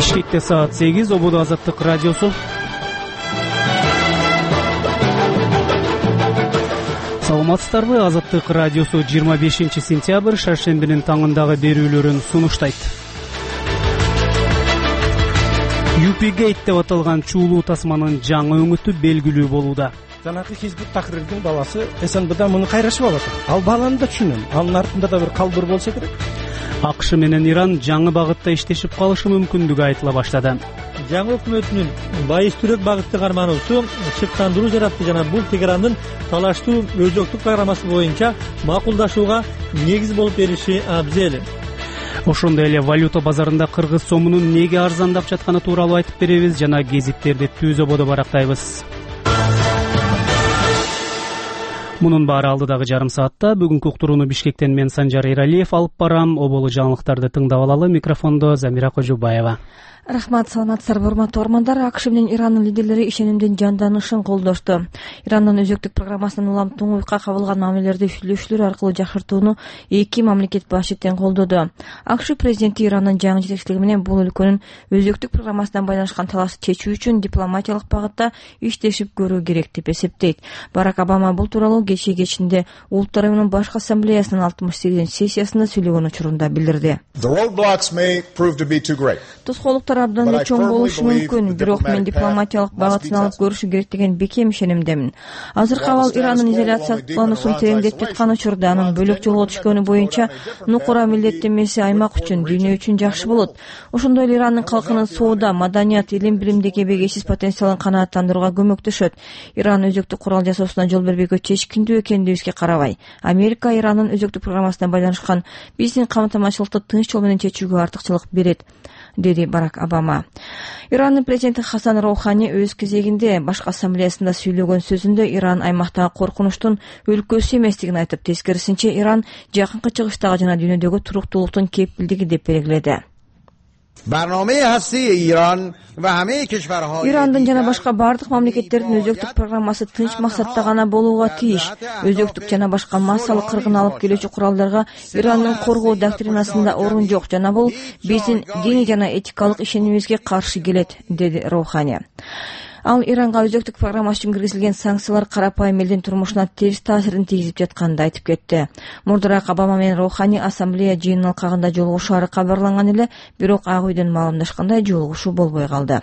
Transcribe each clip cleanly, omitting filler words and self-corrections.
Бишкекте саат 8, Ободо Азаттык радиосу. Саламатсыздарбы? Азаттык радиосу 25 сентябрь шаршембинин таңындагы берүүлөрүн сунуштайт. UP-Gate деп аталган чуулуу тасманын жаңы өңүтү белгилүү болууда. Жанагы Хизбут Тахрирдин баласы СНБда муну кайрашып алат. Ал баланы да түшүнөм. Анын артында да бир калбыр болсо керек. АКШ менен Иран жаңы багытта иштешип калышы мүмкүндүгү айтыла баштады. Жаңы өкмөтүнүн байыстырык багытты кармануусу шыктандыруу жаратты жана бул Тегерандын талаштуу өзөктүк программасы боюнча макулдашууга негиз болуп бериши абзел. Ошондой эле валюта базарында кыргыз сомунун неге арзандап жатканы тууралуу айтып беребиз жана гезиттерди түз ободо барактайбыз. Мунун баары алдыдагы жарым саатта. Бүгүнкү уктурууну Бишкектен мен Санжар Эралиев алып барам. Оболу жаңылыктарды тыңдап алалы. Микрофондо Замира Кожубаева. Рахмат, саламатсыздарбы урматтуу угармандар. АКШ менен Ирандын лидерлери ишенимдин жанданышын колдошту. Ирандын өзөктүк программасынын улам туңуйукка кабылган мамилелерди сүйлөшүүлөр аркылуу жакшыртууну эки мамлекет башы тең колдоду. АКШ президенти Ирандын жаңы жетекчилиги менен бул өлкөнүн өзөктүк программасынан байланышкан талашты чечүү үчүн дипломатиялык багытта иштешип көрүү керек деп эсептейт. Барак Обама бул тууралуу кечинде Улуттар уюмунун башкы ассамблеясынын 68-сессиясында сүйлөгөн учурунда билдирди. Тоскоолуктар абдан эле чоң болушу мүмкүн, бирок мен дипломатиялык багытын алып көрүшү керек деген бекем ишенимдемин. Азыркы абал Ирандын изоляциялануусун тереңдетип жаткан учурда анын бөлөк жолго түшкөнү боюнча нукура милдеттенмеси аймак үчүн, дүйнө үчүн жакшы болот. Ошондой эле Ирандын калкынын соода, маданият, илим билимдеги эбегейсиз потенциалын канааттандырууга көмөктөшөт. Иран өзөктүк курал жасоосуна жол бербөйгө чечкиндүү экендигибизге карабай, Америка Ирандын өзөктүк программасына байланышкан биздин камтамашчылыкты тынч жол менен чечүүгө артыкчылык берет, деди Барак Обама. Ирандын президенти Хасан Роухани өз кезегинде башкы ассамблеясында сүйлөгөн сөзүндө Иран аймактагы коркунучтун өлкөсү эместигин айтып, тескерисинче Иран жакынкы чыгыштагы жана дүйнөдөгү туруктуулуктун кепилдиги деп белгиледи. Ирандын жана башка бардык мамлекеттердин өзөктүк программасы тынч максатта гана болууга тийиш. Өзөктүк жана башка массалык кыргын алып келүүчү куралдарга Ирандын коргоо доктринасында орун жок жана бул биздин диний жана этикалык ишенимибизге каршы келет, деди Роухани. Ал Иранга өзөктүк программасы үчүн киргизилген санкциялар карапайым элдин турмушуна терс таасирин тийгизип жатканын айтып кетти. Мурдураак Обама менен Роухани ассамблея жыйынынын алкагында жолугушаары кабарланган эле, бирок Ак үйдөн маалымдашкандай жолугушуу болбой калды.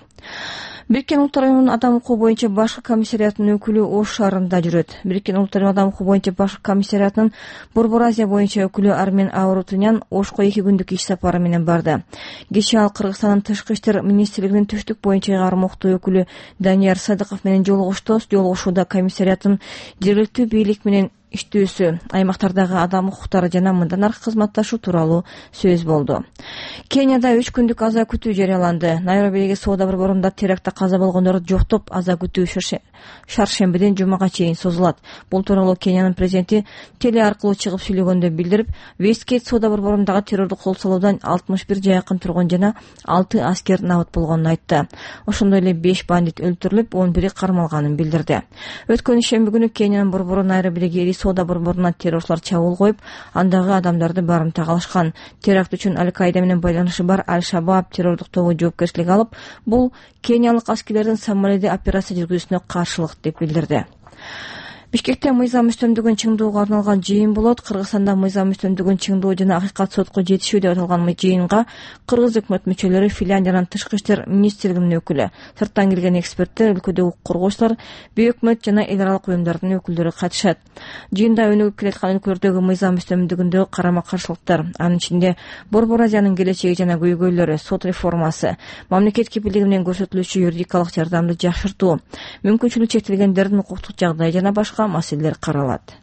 Бириккен Улуттар уюмунун адам укугу боюнча башкы комиссариатынын өкүлү Ош шаарында жүрөт. Бириккен Улуттар уюмунун адам укугу боюнча башкы комиссариатынын Борбор Азия боюнча өкүлү Армен Аурутунян Ошко 2 күндүк иш сапары менен барды. Кечээ ал Кыргызстандын тышкы иштер министрлигинин түштүк боюнча кармоктуу өкүлү Данияр Садыков менен жолугушту. Жолугушууда комиссариаттын жергиликтүү бийлик менен иштөөсү, аймактардагы адам укуктары жана мындан аркы кызматташуу тууралуу сөз болду. Кенияда 3 күндүк аза күтүү жарыяланды. Найробидеги соода борборунда терактта каза болгондорду жоктоп, аза күтүү шаршембиден жумага чейин созулат. Бул тууралуу Кениянын президенти теле аркылуу чыгып сүйлөгөндө билдирип, Вестгейт соода борборундагы террордук кол салуудан 61 жакын тургун жана 6 аскер набыт болгонун айтты. Ошондой эле 5 бандит өлтүрүлүп, 11 кармалганын билдирди. Өткөн ишемби күнү Кениянын борбору Найробидеги соода борборуна террорчулар чабуул коюп, андагы адамдарды барымта кылышкан. Теракт үчүн Аль-Каида менен байланышы бар Аль-Шабаб террордук тобу жоопкерчилик алып, бул кениялык аскерлердин Сомалиде операция жүргүзүүсүнө каршылык деп билдирди. Бишкекте мыйзам үстөмдүгүн чыңдоого арналган жыйын болот. Кыргызстанда мыйзам үстөмдүгүн чыңдоо жана акыйкат сотко жетишүү деп аталган жыйынга кыргыз өкмөт мүчөлөрү, Финляндиянын тышкы иштер министрлигинин өкүлү, сырттан келген эксперттер, өлкөдөгү укук коргоочулар, бейөкмөт жана эл аралык уюмдардын өкүлдөрү катышат. Жыйында өнүгүп келаткан өлкөлөрдөгү мыйзам үстөмдүгүндөгү карама-каршылыктар, анын ичинде Борбор Азиянын келечеги жана көйгөйлөрү, сот реформасы, мамлекет кепилдиги менен көрсөтүлүүчү юридикалык жардамды жакшыртуу, мүмкүнчүлүгү чектелгендердин укуктук жагдайы жана башка маселелер каралат.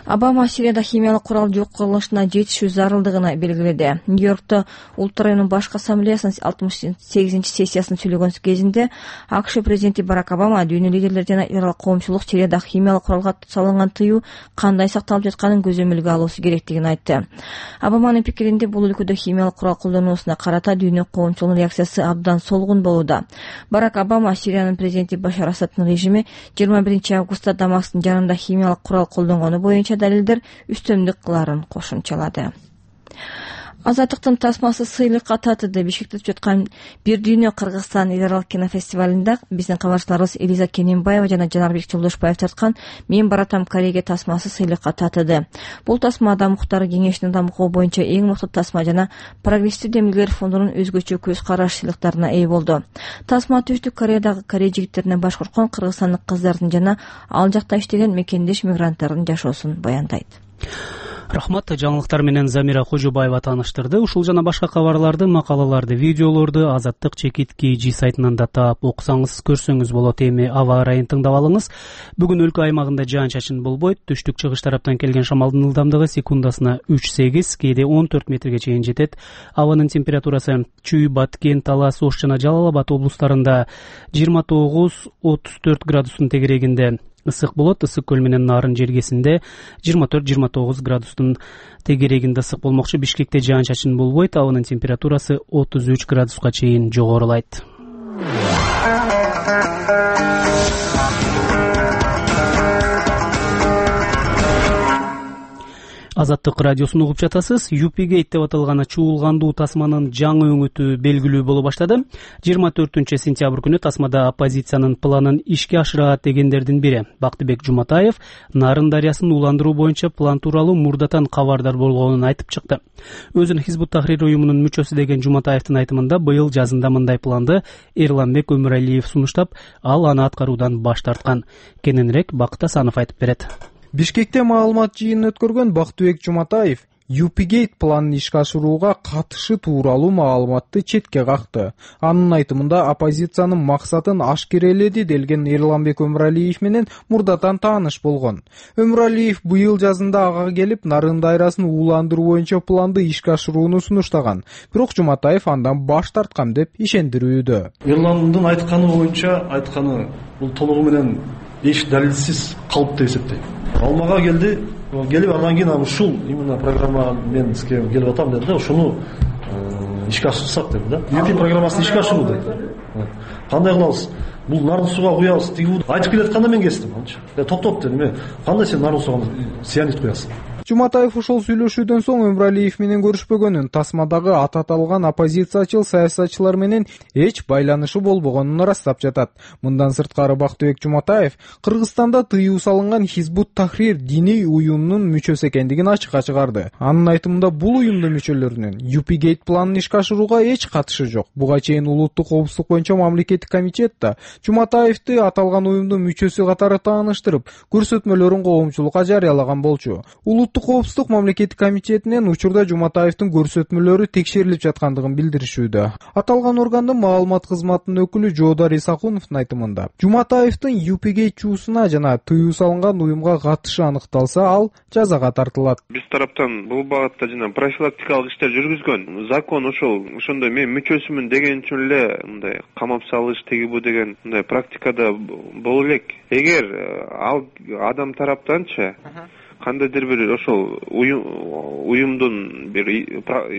Обама Сирияда химиялык курал жок кылынышына жетишүү зарылдыгына белгиледи. Нью-Йоркто Улуттар уюмунун башкы ассамблеясынын 68-сессиясында сүйлөгөн кезинде АКШ президенти Барак Обама дүйнө лидерлери жана эл аралык коомчулук Сирияда химиялык куралга салынган тыюу кандай сакталып жатканын көзөмөлгө алуусу керектигин айтты. Обаманын пикиринде бул өлкөдө химиялык курал колдонуусуна карата дүйнө коомчулугунун реакциясы абдан солгун болууда. Барак Обама Сириянын президенти Башар Асадтын режими 21 августта Дамасктын жанында химиялык курал колдонгону боюнча далилдер үстөмдүк кыларын кошумчалады. Азаттыктын тасмасы сыйлыкка татыды. Бишкекте өтүп жаткан Бир дүйнө Кыргызстан эл аралык кинофестивалында биздин кабарчыларыбыз Элиза Кененбаева жана Жанарбек Жолдошбаев тарткан «Мен баратам Кореяга» тасмасы сыйлыкка татыды. Бул тасмада Муктар Кеңештин дамкоо боюнча эң мыкты тасма жана Прогрессив демилгелер фондунун өзгөчө көз караш сыйлыктарына ээ болду. Тасма Түштүк Кореядагы корей жигиттерине баш коркон кыргызстандык кыздардын жана ал жакта иштеген мекендеш мигранттардын жашоосун баяндайт. Рахмат. Жаңылыктар менен Замира Кожобаева тааныштырды. Ушул жана башка кабарларды, макалаларды, видеолорду Азаттык /G сайтынан да таап окусаңыз, көрсөңүз болот. Эми аба ырайын тыңдап алыңыз. Бүгүн өлкө аймагында жаан-чачын болбойт. Түштүк чыгыш тараптан келген шамалдын ылдамдыгы секундасына 3-8, кээде 14 метрге чейин жетет. Абанын температурасы Чүй, Баткен, Талас, Ош жана Жалал Абад облустарында 29-34 градустун тегерегинде ысык болот. Ысык көл менен Нарын жергесинде 24-29 градустун тегерегинде ысык болмокчу. Бишкекте жаан-чачын болбойт. Абанын температурасы 33 градуска чейин жогорулайт. Азаттык радиосун угуп жатасыз. UP-Gate деп аталган чуулгандуу тасманын жаңы өңүтү белгилүү боло баштады. 24-сентябрь күнү тасмада оппозициянын планын ишке ашырат дегендердин бири Бактыбек Жуматаев Нарын дарыясын ууландыруу боюнча план тууралуу мурдатан кабардар болгонун айтып чыкты. Өзүн Хизбут Тахрир уюмунун мүчөсү деген Жуматаевдин айтымында быйыл жазында мындай планды Эрланбек Өмүралиев сунуштап, ал аны аткаруудан баш тарткан. Кененирээк Бакыт Асанов айтып берет. Бишкекте маалымат жыйынын өткөргөн Бактыбек Жуматаев UP-Gate планын ишке ашырууга катышы тууралуу маалыматты четке какты. Анын айтымында оппозициянын максатын ашкереледи делген Эрланбек Өмүралиев менен мурдатан тааныш болгон. Өмүралиев быйыл жазында ага келип, Нарын дайрасын ууландыруу боюнча планды ишке ашырууну сунуштаган. Бирок Жуматаев андан баш тарткан деп ишендирүүдө. Эрландын айтканы боюнча айтканы бул толугу менен эч далилсиз калып деп эсептейм. Ал мага келип андан кийин ушул именно программа мен сизге келип атам деди да, ушуну ишке ашырсак деди да. UP программасын ишке ашыруу деди. Кандай кылабыз? Бул нарын сууга куябыз, тиги айтып келатканда мен кестим анча. Токтоп дедим, кандай сен нарын сууга цианид куясың? Жуматаев ошол сүйлөшүүдөн соң Өмүралиев менен көрүшпөгөнүн, тасмадагы аты аталган оппозициячыл саясатчылар менен эч байланышы болбогонун ырастап жатат. Мындан сырткары Бактыбек Жуматаев Кыргызстанда тыюу салынган Хизбут Тахрир диний уюмунун мүчөсү экендигин ачыкка чыгарды. Анын айтымында бул уюмдун мүчөлөрүнүн UP-Gate планын ишке ашырууга эч катышы жок. Буга чейин улуттук коопсуздук боюнча мамлекеттик комитет да Жуматаевди аталган уюмдун мүчөсү катары тааныштырып, көрсөтмөлөрүн коомчулукка жарыялаган болчу. Коопсуздук мамлекеттик комитетинен учурда Жуматаевдин көрсөтмөлөрү текшерилип жаткандыгын билдиришүүдө. Аталган органдын маалымат кызматынын өкүлү Жоодар Исакуновдун айтымында, Жуматаевдин UP-Gate чуусуна жана тыюу салынган уюмга катышы аныкталса, ал жазага тартылат. Биз тараптан бул багытта жана профилактикалык иштер жүргүзгөн. Закон ошондой мен мүчөсүмүн деген үчүн эле мындай камап салыш теги бу деген мындай практикада боло элек. Эгер ал адам тараптанчы кандайдыр бир ошол уюмдун бир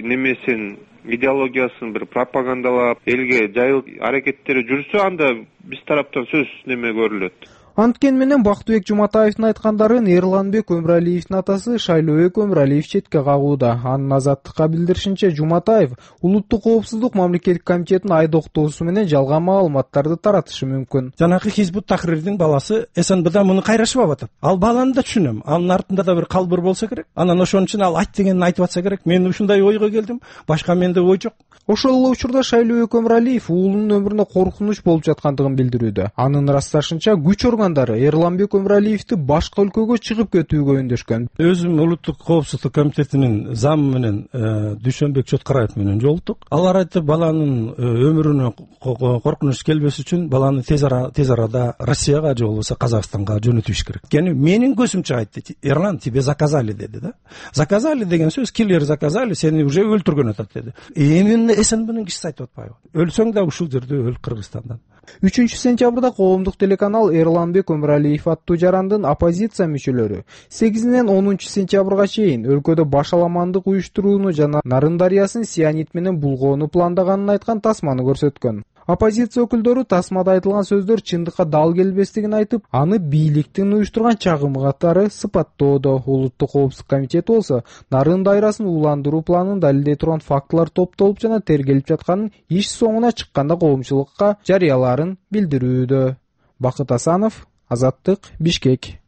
немесин, идеологиясын бир пропагандалап, элге жайылып аракеттери жүрсө, анда биз тараптан сөз неме көрүлөт. Анткен менен Бактыбек Жуматаевдин айткандарын Эрланбек Өмүралиевдин атасы Шайлообек Өмүралиев четке кагууда. Анын Азаттыкка билдиришинче, Жуматаев улуттук коопсуздук мамлекеттик комитетинин айдоктоосу менен жалган маалыматтарды таратышы мүмкүн. Жанагы Хизбут Тахрирдин баласы СНБда муну кайрашып атат. Ал баланы да түшүнөм. Анын артында да бир калбыр болсо керек. Анан ошон үчүн ал айт дегенин айтып атса керек. Мен ушундай ойго келдим. Башка менде ой жок. Ошол эле учурда Шайлообек Өмүралиев уулунун өмүрүнө коркунуч болуп жаткандыгын билдирүүдө. Анын ырасташынча, күч органдары Эрланбек Өмүралиевди башка өлкөгө чыгып кетүүгө үндөшкөн. Өзүм улуттук коопсуздук комитетинин замы менен Дүйшөнбек Чоткараев менен жолуктук. Алар айтты, баланын өмүрүнө коркунуч келбеш үчүн баланы тез арада Россияга же болбосо Казакстанга жөнөтүш керек. Эми менин көзүмчө айтты, Эрлан, тебе заказали деди да. Заказали деген сөз, киллер заказали, сени уже өлтүргөн атат деди. Эми СНБнын кишиси айтып атпайбы? Өлсөң да ушул жерде өл Кыргызстандан. 3-сентябрда коомдук телеканал Эрланбек Өмүралиев аттуу жарандын оппозиция мүчөлөрү 8-ден 10-сентябрга чейин өлкөдө башаламандык уюштурууну жана Нарын дарыясын сианид менен булгоону пландаганын айткан тасманы көрсөткөн. Оппозиция өкүлдөрү тасмада айтылган сөздөр чындыкка дал келбестигин айтып, аны бийликтин уюштурган чагымы катары сыпаттоодо. Улуттук коопсуздук комитети болсо нарын дайрасын ууландыруу планын далилдей турган фактылар топтолуп жана тергелип жатканын иш соңуна чыкканда коомчулукка жарыялаарын билдирүүдө. Бакыт Асанов, Азаттык, Бишкек.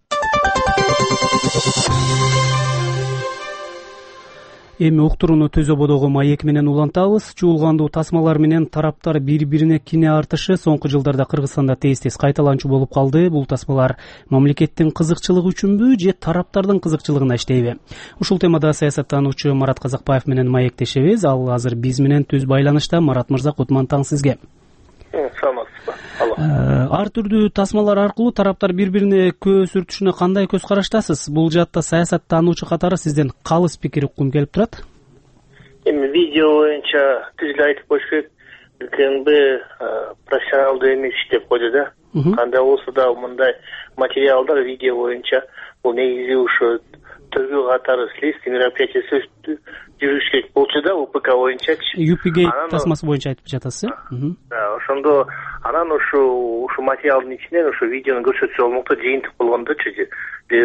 Эми уктурууну Төз ободогу маек менен улантабыз. Чуулгандуу тасмалар менен тараптар бири-бирине кине артышы соңку жылдарда Кыргызстанда тез-тез кайталанчу болуп калды. Бул тасмалар мамлекеттин кызыкчылыгы үчүнбү же тараптардын кызыкчылыгына иштейби? Ушул темада саясаттануучу Марат Казакбаев менен маектешебиз. Ал азыр биз менен түз байланышта. Марат мырза, кутман таң сизге. Саламатсызбы? Ар түрдүү тасмалар аркылуу тараптар бири-бирине көз сүртүшүнө кандай көз караштасыз? Бул жаатта саясаттануучу катары сизден калыс пикир уккум келип турат. Эми видео боюнча түз эле айтып коюш керек, КНБ профессионалдуу эмес деп койду да. Кандай болсо да мындай материалдар видео боюнча бул негизи ушу тергөө катары следственный мероприятие жүрүш керек болчу да, УПК боюнчачы. ЮПГ тасмасы боюнча айтып жатасыз. Ошондо анан ушу материалдын ичинен ушу видеону көрсөтсө болмокто, жыйынтык болгондочу же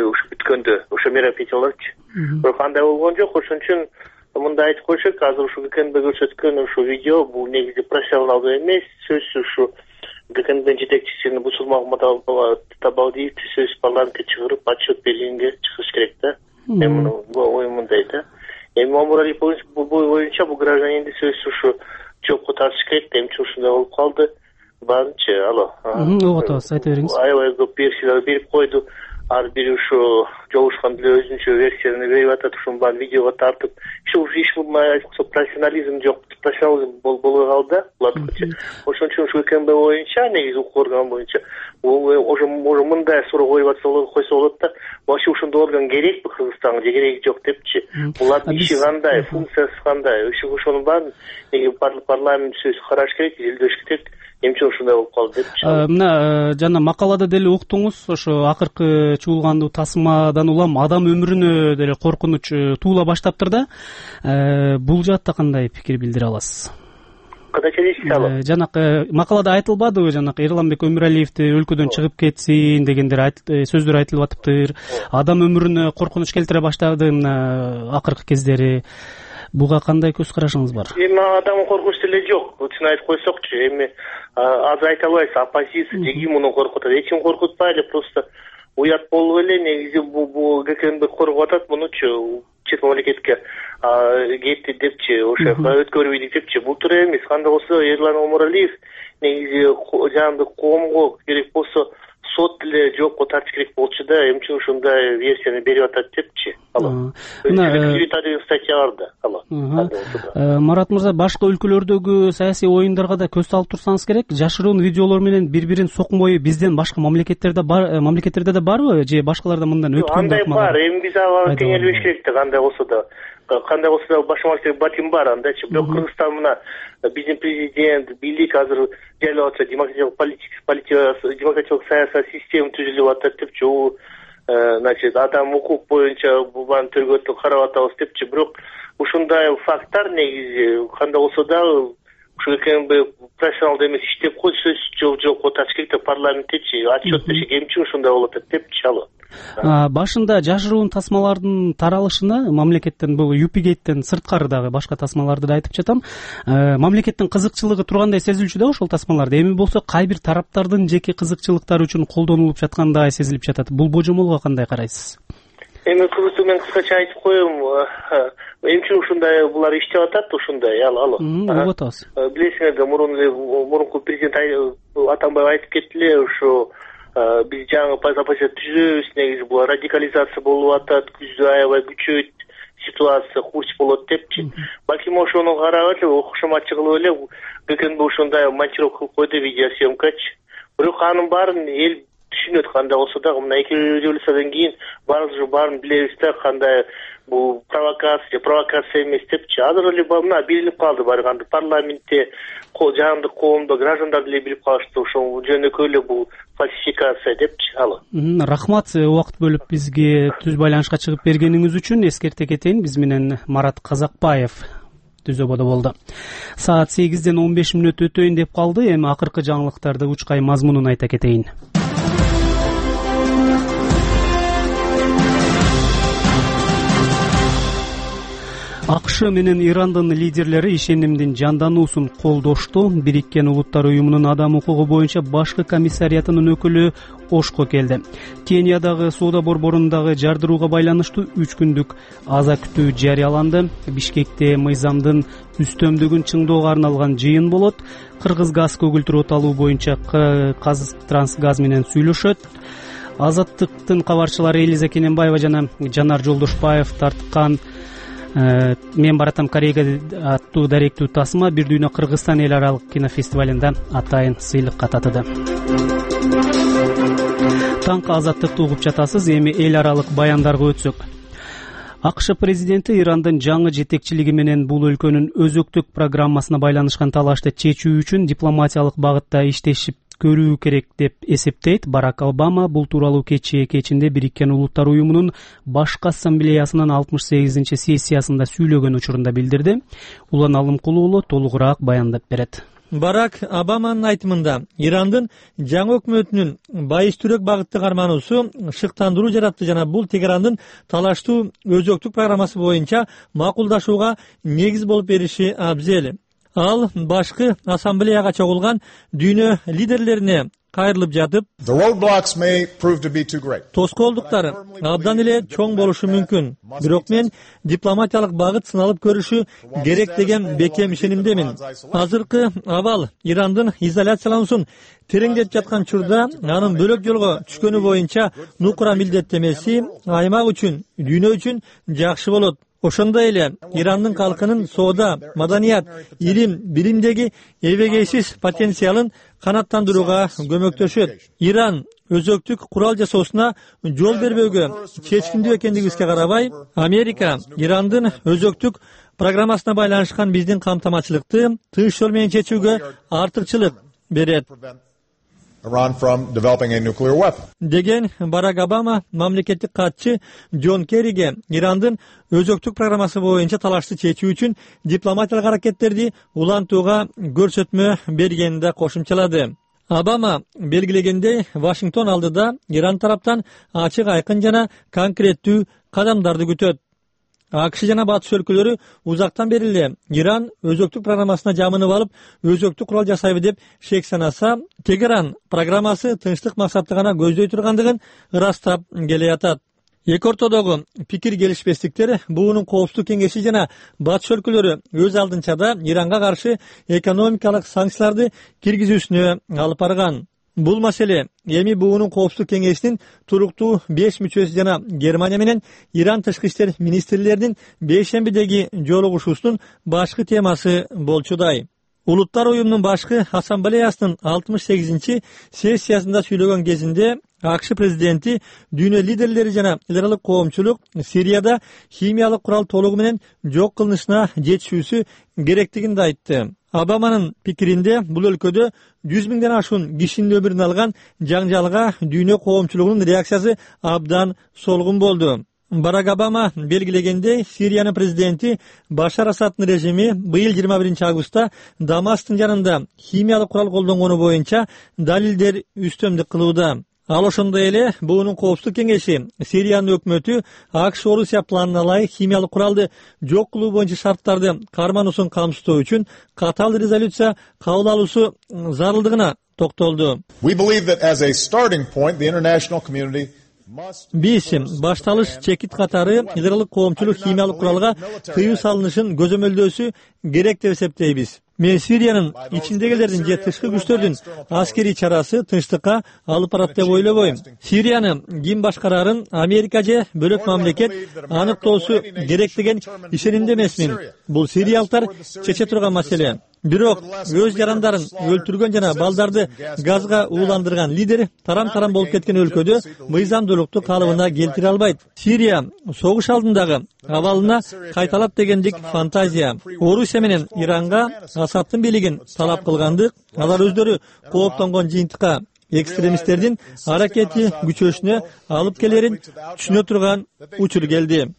ушу бүткөндө ошо мероприятияларчы. Бирок андай болгон жок. Ошон үчүн мындай айтып коюш керек, азыр ушу ГКНБ көрсөткөн ушу видео бул негизи профессионалдуу эмес. Сөзсүз ушу ГКНБ жетекчисин Бусулмагамат Табалдиевди сөз парламентке чыгарып отчет бергенге чыгыш керек да. Эми оюм мындай да. Эми Мамурали боюнча бул гражданинди сөзсүз ушу жоопко тартыш керек. Эмче ушундай болуп калды. Баарынчы, угуп атабыз, айта бериңиз. Аябай көп версиялар берип койду. Ар бири ушу жолушкан деле өзүнчө версияны берип атат, ушунун баарын видеого тартып. Иш профессионализм жок, профессионализм болбой калды да булардыкычы. Ошон үчүн ушу КНБ боюнча, негизи укук орган боюнча уже мындай суроо койсо болот да. Вообще ушундай орган керекпи Кыргызстанга же кереги жок депчи. Булардын иши кандай, функциясы кандай? Ошонун баарын парламент сөз караш керек, изилдеш керек. Эмче ушундай болуп калды депчи. Мына жана макалада деле уктуңуз, ошо акыркы чуулгандуу тасмадан улам адам өмүрүнө деле коркунуч туула баштаптыр да. Бул жаатта кандай пикир билдире аласыз? Кандайча дейсиз? Жанакы макалада айтылбадыбы, жанакы Эрланбек Өмүралиевди өлкөдөн чыгып кетсин дегендер сөздөр айтылып атыптыр. Адам өмүрүнө коркунуч келтире баштады мына акыркы кездери. Буга кандай көз карашыңыз бар? Эми адам коркунуч деле жок. Чын айтып койсокчу, эми азыр айта албайсыз, оппозиция же ким муну коркутат? Эч ким коркутпай эле, просто уят болуп эле негизи бул ГКНБ коргоп атат мунучу, чет мамлекетке кетти депчи, ошо өткөрбөйдүк депчи. Бул туура эмес. Кандай болсо Эрлан Омуралиев негизи жаандык коомго керек болсо сот деле жоопко тартыш керек болчу да. Эмче ушундай версияны берип атат депчи. Деген статья бар да. Марат мырза, башка өлкөлөрдөгү саясий оюндарга да көз салып турсаңыз керек. Жашыруун видеолор менен бири-бирин сокмой бизден башка мамлекеттерде да барбы же башкаларда мындан өткөн? Андай бар. Эми биз ага кеңелбеш керек да, кандай болсо да башка мамлекетте батим бар андайчы. Бирок Кыргызстан мына биздин президент, бийлик азыр жайлап атса, демократиялык саясий система түзүлүп атат депчи. Значит, адам укук боюнча бул тергөөдө карап атабыз депчи. Бирок ушундай факттар негизи кандай болсо да ушу КНБ профессионалдуу эмес иштеп койду, сөз жоопко тартыш керек деп парламенттечи отчет бериши эмче ушундай болуп атат депчи. Башында жашыруун тасмалардын таралышына мамлекеттен, бул ЮПГден сырткары дагы башка тасмаларды да айтып жатам, мамлекеттин кызыкчылыгы тургандай сезилчү да ошол тасмаларда. Эми болсо кай бир тараптардын жеке кызыкчылыктары үчүн колдонулуп жаткандай сезилип жатат. Бул божомолго кандай карайсыз? Эми кызыктуу менен кыскача айтып коем, эмче ушундай булар иштеп атат, ушундай угуп атабыз. Билесиңер да, мурунку президент Атамбаев айтып кетти эле, ушу биз жаңы оппозиция түзөбүз, негизи бул радикализация болуп атат, күздө аябай күчөйт, ситуация хурч болот депчи. Балким ошону карап эле, окушмачы кылып эле ГКНБ ушундай монтировка кылып койду, видеосъемкачы. Бирок анын баарын эл түшүнөт, кандай болсо да мына 2 революциядан кийин баарын билебиз да, кандай бул провокация эмес депчи. Азыр эле мына билинип калды, барганда парламентте, жаандык коомдо граждандар деле билип калышты, ошол жөнөкөй эле бул фальсификация депчи. Рахмат, убакыт бөлүп бизге түз байланышка чыгып бергениңиз үчүн. Эскерте кетейин, биз менен Марат Казакбаев түзөбодо болду. Саат 8-ден 15 мүнөт өтөйүн деп калды. Эми акыркы жаңылыктарды учкай мазмунун айта кетейин. АКШ менен Ирандын лидерлери ишенимдин жандануусун колдошту. Бириккен Улуттар уюмунун адам укугу боюнча башкы комиссариятынын өкүлү Ошко келди. Кениядагы соода борборундагы жардырууга байланыштуу 3 күндүк аза күтүү жарыяланды. Бишкекте мыйзамдын үстөмдүгүн чыңдоого арналган жыйын болот. Кыргыз газ көгүлтүрүп аталуу боюнча Казтрансгаз менен сүйлөшөт. Азаттыктын кабарчылары Элиза Кененбаева жана Жанар Жолдошбаев тарткан «Мен баратам Кореяга» аттуу даректүү тасма Бир дүйнө Кыргызстан эл аралык кинофестивалында атайын сыйлыкка татыды. Таңкы азаттыкты угуп жатасыз. Эми эл аралык баяндарга өтсөк. АКШ президенти Ирандын жаңы жетекчилиги менен бул өлкөнүн өзөктүк программасына байланышкан талашты чечүү үчүн дипломатиялык багытта иштешип көрүү керек деп эсептейт. Барак Обама бул тууралуу кечинде Бириккен Улуттар уюмунун башкы ассамблеясынын 68-сессиясында сүйлөгөн учурунда билдирди. Улан Алымкулуу уулу толугураак баяндап берет. Барак Обаманын айтымында Ирандын жаңы өкмөтүнүн байыстүүрөөк багытты кармануусу шыктандыруу жаратты жана бул Тегерандын талаштуу өзөктүк программасы боюнча макулдашууга негиз болуп бериши абзел. Ал башкы ассамблеяга чогулган дүйнө лидерлерине кайрылып жатып, тоскоолдуктар абдан эле чоң болушу мүмкүн, бирок мен дипломатиялык багыт сыналып көрүшү керек деген бекем ишенимдемин. Азыркы абал Ирандын изоляциялануусун тереңдетип жаткан учурда анын бөлөк жолго түшкөнү боюнча нукура милдеттемеси аймак үчүн, дүйнө үчүн жакшы болот. Ошондой эле Ирандын калкынын соода, маданият, илим, билимдеги эбегейсиз потенциалын канааттандырууга көмөктөшөт. Иран өзөктүк курал жасоосуна жол бербөөгө чечкиндүү экендигибизге карабай, Америка Ирандын өзөктүк программасына байланышкан биздин камтамачылыкты тыныч жол менен чечүүгө артыкчылык берет деген Барак Обама мамлекеттик катчы Джон Керриге Ирандын өзөктүк программасы боюнча талашты чечүү үчүн дипломатиялык аракеттерди улантууга көрсөтмө бергенин да кошумчалады. Обама белгилегендей, Вашингтон алдыда Иран тараптан ачык, айкын жана конкреттүү кадамдарды күтөт. АКШ жана батыш өлкөлөрү узактан бери эле Иран өзөктүк программасына жамынып алып, өзөктүк курал жасайбы деп шек санаса, Тегеран программасы тынчтык максатты гана көздөй тургандыгын ырастап келе жатат. Эки ортодогу пикир келишпестиктер буунун коопсуздук кеңеши жана батыш өлкөлөрү өз алдынча да Иранга каршы экономикалык санкцияларды киргизүүсүнө алып барган. Бул маселе эми буунун коопсуздук кеңешинин туруктуу 5 мүчөсү жана Германия менен Иран тышкы иштер министрлеринин бейшембидеги жолугушуусунун башкы темасы болчудай. Улуттар уюмунун башкы ассамблеясынын 68-сессиясында сүйлөгөн кезинде АКШ президенти дүйнө лидерлери жана эл аралык коомчулук Сирияда химиялык курал толугу менен жок кылынышына жетишүүсү керектигин да айтты. Обаманын пикиринде бул өлкөдө 100 миңден ашуун кишинин өмүрүн алган жаңжалга дүйнө коомчулугунун реакциясы абдан солгун болду. Барак Обама белгилегендей, Сириянын президенти Башар Асаддын режими быйыл 21 августта Дамасктын жанында химиялык курал колдонгону боюнча далилдер үстөмдүк кылууда. Ал ошондой эле буунун коопсуздук кеңеши Сириянын өкмөтү АКШ Орусия планына ылайык химиялык куралды жок кылуу боюнча шарттарды кармануусун камсыздоо үчүн катаал резолюция кабыл алуусу зарылдыгына токтолду. Биз башталыш чекит катары эл аралык коомчулук химиялык куралга тыюу салынышын көзөмөлдөөсү керек деп эсептейбиз. Мен Сириянын ичиндегилердин же тышкы күчтөрдүн аскерий чарасы тынчтыкка алып барат деп ойлобойм. Сирияны ким башкарарын Америка же бөлөк мамлекет аныктоосу керек деген ишенимде эмесмин. Бул сириялыктар чече турган маселе. Бирок өз жарандарын өлтүргөн жана балдарды газга ууландырган лидер тарам-тарам болуп кеткен өлкөдө мыйзамдуулукту калыбына келтире албайт. Сирия согуш алдындагы абалына кайталап дегендик фантазия. Орусия менен Иранга Асаддын бийлигин талап кылгандык, алар өздөрү кооптонгон жыйынтыкка экстремисттердин аракети күчөшүнө алып келерин түшүнө турган учур келди.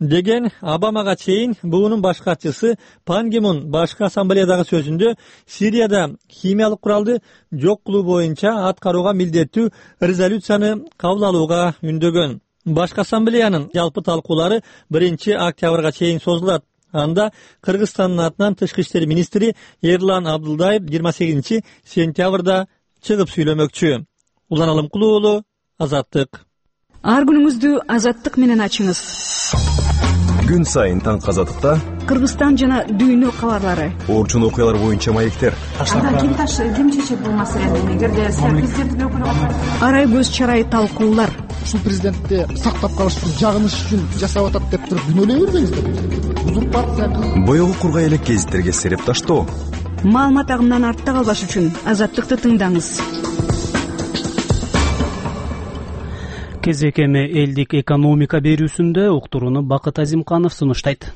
деген Обамага чейин буунун баш катчысы Пан Ги Мун башкы ассамблеядагы сөзүндө Сирияда химиялык куралды жок кылуу боюнча аткарууга милдеттүү резолюцияны кабыл алууга үндөгөн. Башкы ассамблеянын жалпы талкуулары 1-октябрга чейин созулат. Анда Кыргызстандын атынан тышкы иштер министри Эрлан Абдулдаев 28-сентябрда чыгып сүйлөмөкчү. Улан Алымкулуу уулу, Азаттык. Ар күнүңүздү Азаттык менен ачыңыз. Күн сайын таңкы Азаттыкта Кыргызстан жана дүйнө кабарлары, орчун окуялар боюнча маектер. Ким чечет бул маселени? Эгерде президенттин өкүлү арай көз чарай талкуулар. Ушул президентти сактап калыш үчүн жагыныш үчүн жасап атат деп туруп күнөөлөй бербеңиздер. Узурпация. Боёгу кургай элек гезиттерге сереп таштоо. Маалымат агымынан артта калбаш үчүн Азаттыкты тыңдаңыз. Кезек эми элдик экономика берүүсүндө уктурууну Бакыт Азимканов сунуштайт.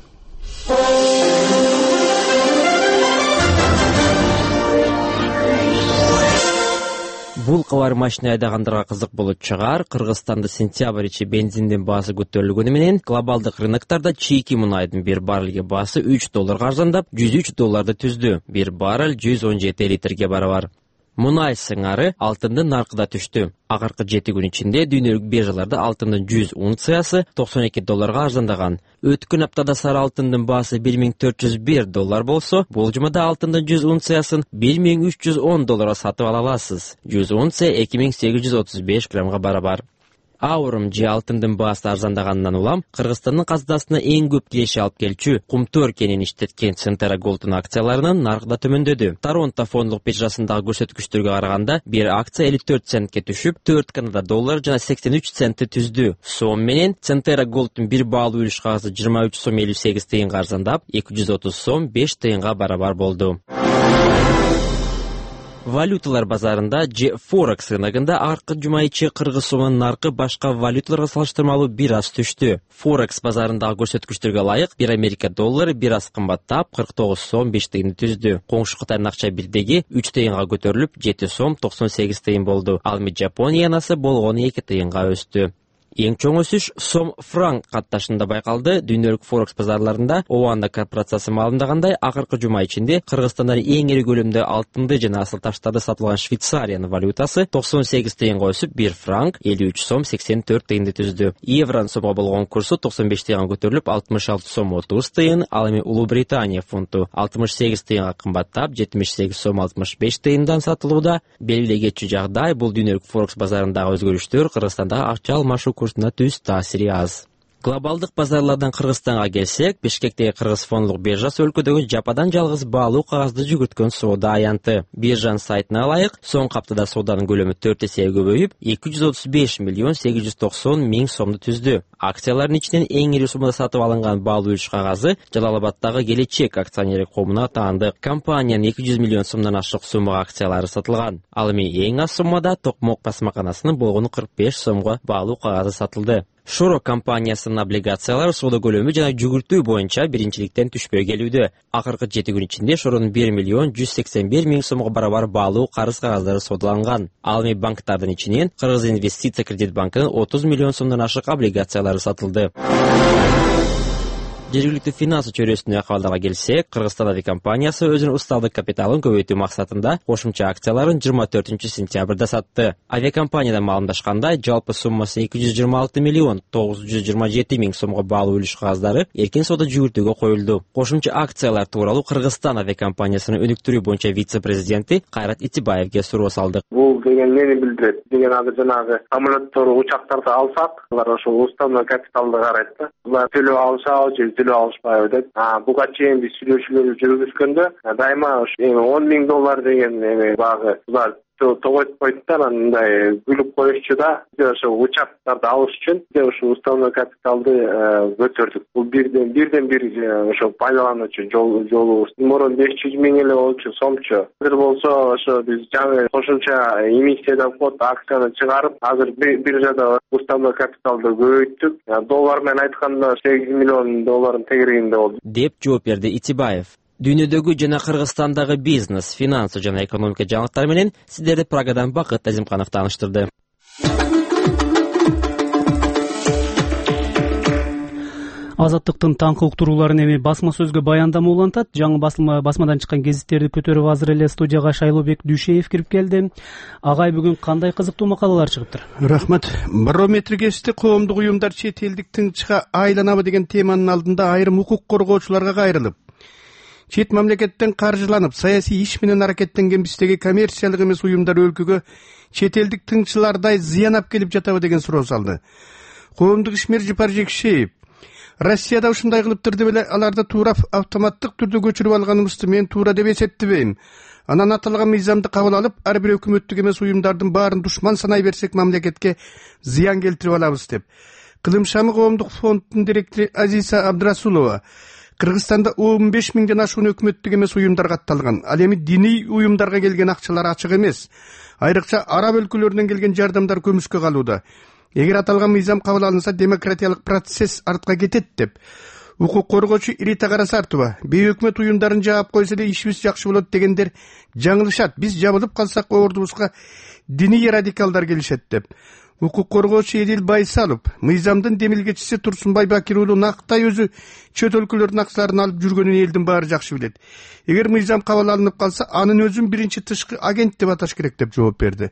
Бул кабар машина айдагандарга кызык болуп чыгар. Кыргызстанда сентябрь ичи бензиндин баасы көтөрүлгөнү менен глобалдык рыноктарда чийки мунайдын $1 баррелге баасы $3 арзандап, $103 түздү. 1 баррель 117 литрге барабар. Мунай сыңары алтындын наркы да түштү. Акыркы 7 күн ичинде дүйнөлүк биржаларда алтындын 100 унциясы $92 арзандаган. Өткөн аптада сары алтындын баасы $1401 болсо, бул жумада алтындын 100 унциясын $1310 сатып ала аласыз. 100 унция 2835 граммга барабар. Аурум же алтындын баасы арзандагандан улам Кыргызстандын казынасына эң көп киреше алып келчү Кумтөр кенин иштеткен Centera Gold'ун акцияларынын наркы да төмөндөдү. Торонто фондулук биржасындагы көрсөткүчтөргө караганда бир акция 54 центке түшүп, 4 Канада доллары жана 83 центти түздү. Сом менен Centera Gold'ун бир баалуу үлүш кагазы 23 сом 58 тыйынга арзандап, 230 сом 5 тыйынга барабар болду. Валюталар базарында же Forex рыногунда аркы жума ичи кыргыз сомунун наркы башка валюталарга салыштырмалуу бир аз түштү. Forex базарындагы көрсөткүчтөргө ылайык 1 Америка доллары бир аз кымбаттап 49 сом 5 тыйын түздү. Коңшу Кытайдын акча бирдеги 3 тыйынга көтөрүлүп 7 сом 98 тыйын болду. Ал эми Жапония янасы болгону 2 тыйынга өстү. Эң чоң өсүш сом-франк катташында байкалды. Дүйнөлүк Forex базарларында Оанда корпорациясы маалымдагандай, акыркы жума ичинде Кыргызстандан эң ири көлөмдө алтынды жана асыл таштарды сатылган Швейцариянын валютасы 98 тыйынга өсүп, 1 франк 53 сом 84 тыйынды түздү. Евронун сомго болгон курсу 95 тыйынга көтөрүлүп, 66 сом 30 тыйын, ал эми Улуу Британия фунту 68 тыйынга кымбаттап, 78 сом 65 тыйындан сатылууда. Белгилүү кетчү жагдай, бул дүйнөлүк Forex базарындагы өзгөрүштөр Кыргызстандагы акча алмашуу курсуна түз таасири аз. Глобалдык базарлардан Кыргызстанга келсек, Бишкектеги Кыргыз фондулук биржасы өлкөдөгү жападан жалгыз баалуу кагазды жүгүрткөн соода аянты. Биржанын сайтына ылайык, соңку аптада сооданын көлөмү 4 эсеге көбөйүп, 235 миллион 890 миң сомду түздү. Акциялардын ичинен эң ири суммада сатып алынган баалуу үлүш кагазы Жалалабаддагы Келечек акционерлик коомуна таанды. Компаниянын 200 миллион сомдон ашык суммага акциялары сатылган. Ал эми эң аз суммада Токмок басмаканасынын болгону 45 сомго баалуу кагазы сатылды. Шоро компаниясынын облигациялары соода көлөмү жана жүгүртүү боюнча биринчиликтен түшпөй келүүдө. Акыркы 7 күн ичинде Шоронун 1 миллион 181 миң сомго барабар баалуу карыз кагаздары соодаланган. Ал эми банктардын ичинен Кыргыз инвестиция кредит банкынын 30 миллион сомдон ашык облигациялары сатылды. Жергиликтүү финансы чөйрөсүнө акыбалдарга келсек, Кыргызстан авиакомпаниясы өзүнүн усталдык капиталын көбөйтүү максатында кошумча акцияларын 24 сентябрда сатты. Авиакомпаниядан маалымдашкандай, жалпы суммасы 226 миллион 927 миң сомго баалуу үлүш кагаздары эркин соода жүгүртүүгө коюлду. Кошумча акциялар тууралуу Кыргызстан авиакомпаниясынын өнүктүрүү боюнча вице-президенти Кайрат Итибаевге суроо салдык. Бул деген эмнени билдирет? Деген азыр жанагы самолеттор, учактарды алсак, алар ошол уставный капиталды карайт да. Булар төлөп алышабы же төлөп алышпайбы деп. Буга чейин биз сүйлөшүүлөрдү жүргүзгөндө дайыма $10 миң деген багы булар тогойт койдуптар, андай күлүп коюшчу да. Биз ошо учактарды алыш үчүн ошо уставный капиталды көтөрдүк. Бул бирден бир ошо пайдалануучу жолубуз. Мурун 500 миң эле болчу сомчу. Азыр болсо ошо биз жаңы кошумча эмиссиядан код акцияны чыгарып, азыр биржада уставный капиталды көбөйттүк. Доллар менен айтканда $8 миллион тегерегинде болду, деп жооп берди Итибаев. Дүйнөдөгү жана Кыргызстандагы бизнес, финансы жана экономика жаңылыктары менен сиздерди Прагадан Бакыт Азимканов тааныштырды. Азаттыктын таңкы уктурууларын эми басма сөзгө баяндама улантат. Жаңы басмадан чыккан гезиттерди көтөрүп азыр эле студияга Шайлообек Дүйшеев кирип келди. Агай, бүгүн кандай кызыктуу макалалар чыгыптыр? Рахмат. Барометр гезити коомдук уюмдар чет элдик тынчка айланабы деген теманын алдында айрым укук коргоочуларга кайрылып, чет мамлекеттен каржыланып саясий иш менен аракеттенген биздеги коммерциялык эмес уюмдар өлкөгө чет элдик тыңчылардай зыян алып келип жатабы деген суроо салды. Коомдук ишмер Жыпар Жекшеев Россияда ушундай кылыптыр деп эле аларды туура автоматтык түрдө көчүрүп алганыбызды мен туура деп эсептебейм. Анан аталган мыйзамды кабыл алып, ар бир өкмөттүк эмес уюмдардын баарын душман санай берсек мамлекетке зыян келтирип алабыз деп. Кылымшамы коомдук фонддун директору Азиза Абдрасулова Кыргызстанда 15 миңден ашуун өкмөттүк эмес уюмдар катталган. Ал эми диний уюмдарга келген акчалар ачык эмес. Айрыкча араб өлкөлөрүнөн келген жардамдар көмүскө калууда. Эгер аталган мыйзам кабыл алынса, демократиялык процесс артка кетет деп укук коргоочу Рита Карасартова бейөкмөт уюмдарын жаап койсо эле ишибиз жакшы болот дегендер жаңылышат. Биз жабылып калсак ордубузга диний радикалдар келишет деп. Укук коргоочу Эдил Байсалов мыйзамдын демилгечиси Турсунбай Бакир уулу Нактай өзү чөт өлкөлөрдүн акчаларын алып жүргөнүн элдин баары жакшы билет. Эгер мыйзам кабыл алынып калса, анын өзүн биринчи тышкы агент деп аташ керек деп жооп берди.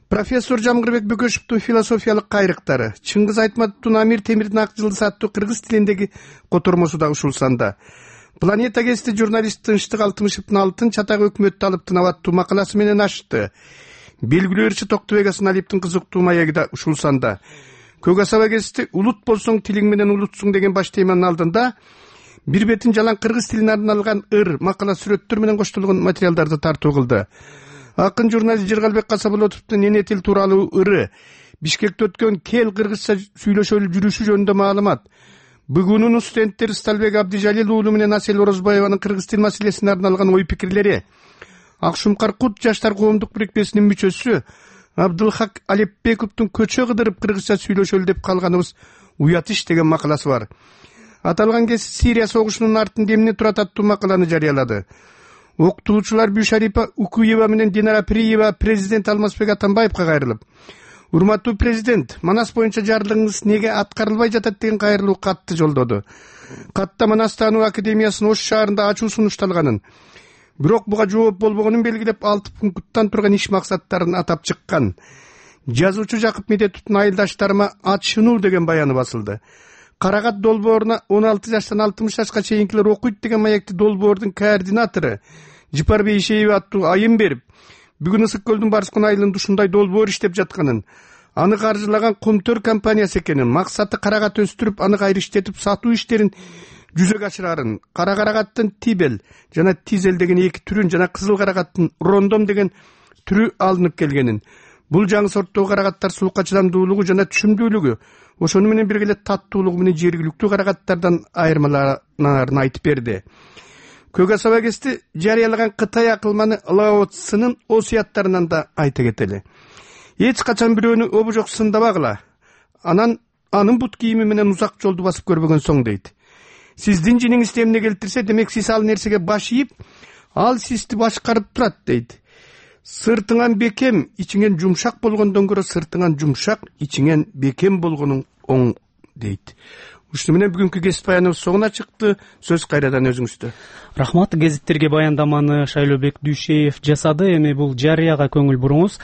Профессор Жамгырбек Бөкөшевдун философиялык кайрыктары, Чыңгыз Айтматовдун Амир Темирдин ак жылдыз аттуу кыргыз тилиндеги котормосу да ушул санда. Планета гезити журналист Тынчтык Алтымышевдин алтын чатак өкмөттү алып тынап аттуу макаласы менен ачты. Белгилүү ырчы Токтубек Асаналиевдин кызыктуу маеги да ушул санда. Көк асаба гезити улут болсоң тилиң менен улутсуң деген баш теманын алдында бир бетин жалаң кыргыз тилине арналган ыр, макала, сүрөттөр менен коштолгон материалдарды тартуу кылды. Акын журналист Жыргалбек Касаболотовдун эне тил тууралуу ыры, Бишкекте өткөн кел кыргызча сүйлөшөлү жүрүшү жөнүндө маалымат, бүгүнүн студенттери Сталбек Абдижалил уулу менен Асель Орозбаеванын кыргыз тил маселесине арналган ой пикирлери, Акшумкар Кут жаштар коомдук бирикмесинин мүчөсү Абдылхак Алепбековдун көчө кыдырып кыргызча сүйлөшөлү деп калганыбыз уят иш деген макаласы бар. Аталган кез Сирия согушунун артында эмне турат аттуу макаланы жарыялады. Окутуучулар Бюшарипа Укуева менен Динара Приева президент Алмазбек Атамбаевга кайрылып, урматтуу президент, Манас боюнча жарлыгыңыз неге аткарылбай жатат деген кайрылуу катты жолдоду. Катта Манас таануу академиясынын Ош шаарында ачуу сунушталганын, бирок буга жооп болбогонун белгилеп 6 пункттан турган иш максаттарын атап чыккан. Жазуучу Жакып Медетовдун айылдаштарыма ачынуу деген баяны басылды. Карагат долбооруна 16 жаштан 60 жашка чейинкилер окуйт деген маекти долбоордун координатору Жыпар Бейшеев аттуу айым берип, бүгүн Ысык көлдүн Барскон айылында ушундай долбоор иштеп жатканын, аны каржылаган Комтөр компаниясы экенин, максаты карагат өстүрүп, аны кайрыштетип сатуу иштерин жүзөгө ашырарын, кара карагаттын Тибел жана Тизел деген эки түрүн жана кызыл карагаттын Рондом деген түрү алынып келгенин, бул жаңы сорттогу карагаттар суукка чыдамдуулугу жана түшүмдүүлүгү, ошону менен бирге эле таттуулугу менен жергиликтүү карагаттардан айырмаланарын айтып берди. Көк асаба гезити жарыялаган Кытай акылманы Лао Цзынын осуяттарынан да айта кетели. Эч качан бирөөнү обожок сындабагыла, анын бут кийими менен узак жолду басып көрбөгөн соң дейт. Сиздин жиниңизди эмне келтирсе, демек сиз ал нерсеге баш ийип, ал сизди башкарып турат дейт. Сыртыңан бекем, ичиңен жумшак болгондон көрө сыртыңан жумшак, ичиңен бекем болгонуң оң дейт. Ушуну менен бүгүнкү гезит баяныбыз соңуна чыкты. Сөз кайрадан өзүңүздө. Рахмат. Гезиттерге баяндаманы Шайлообек Дүйшеев жасады. Эми бул жарыяга көңүл буруңуз.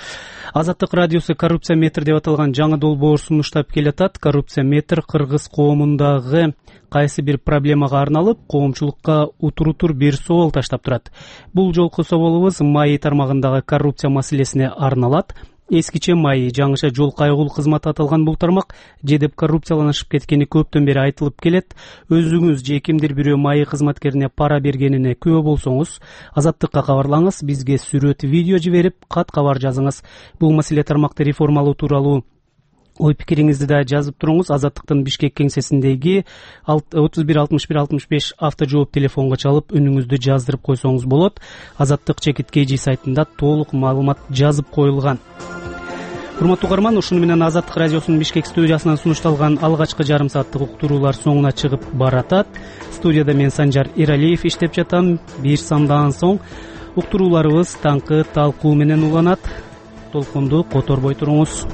Азаттык радиосу коррупция метр деп аталган жаңы долбоор сунуштап келатат. Коррупция метр кыргыз коомундагы кайсы бир проблемага арналып, коомчулукка утурутур бир соол таштап турат. Бул жолку соолубуз МАИ тармагындагы коррупция маселесине арналат. Эскиче МАИ жаңыча жол кайгул кызматы аталган бул тармак жедеп коррупцияланышып кеткени көптөн бери айтылып келет. Өзүңүз же кимдир бирөө МАИ кызматкерине пара бергенине күбө болсоңуз, Азаттыкка кабарлаңыз, бизге сүрөт, видео жиберип, кат кабар жазыңыз. Бул маселе тармакты реформалоо тууралуу ой пикириңизди да жазып туруңуз. Азаттыктын Бишкек кеңсесиндеги 31 автожжооп телефонго чалып үнүңүздү жаздырып койсоңуз болот. Азаттык /KG сайтында толук маалымат жазып коюлган. Урматтуу угарман, ушуну менен Азаттык радиосунун Бишкек студиясынан сунушталган алгачкы жарым сааттык уктуруулар соңуна чыгып баратат. Студияда мен Санжар Иралиев иштеп жатам. Бир самдан соң уктурууларыбыз таңкы талкуу менен уланат. Толкунду которбой туруңуз.